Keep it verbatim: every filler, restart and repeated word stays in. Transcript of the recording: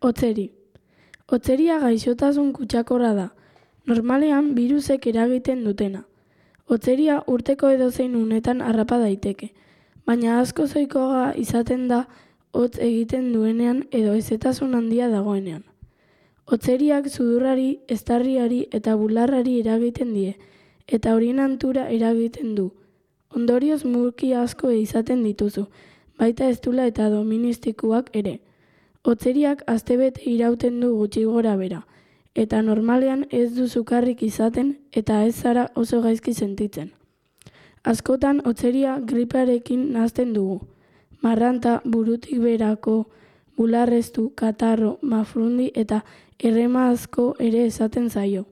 Hotzeri. Hotzeria gaixotasun kutsakorra da. Normalean birusek eragiten dutena. Hotzeria urteko edozein unetan harrapa daiteke, baina asko ohikoagoa izaten da hotz egiten duenean edo hezetasun handia dagoenean. Hotzeriak sudurrari, eztarriari eta bularrari eragiten die, eta horien hantura eragiten du. Ondorioz mulki asko izaten dituzu, baita eztula eta doministikuak ere. Hotzeriak astebete irauten du gutxi gora bera, eta normalean ez du sukarrik izaten eta ez zara oso gaizki sentitzen. Askotan hotzeria gripearekin nahasten dugu. Marranta, burutik berako, bularreztu, katarro, mafrundi eta errema asko ere esaten zaio.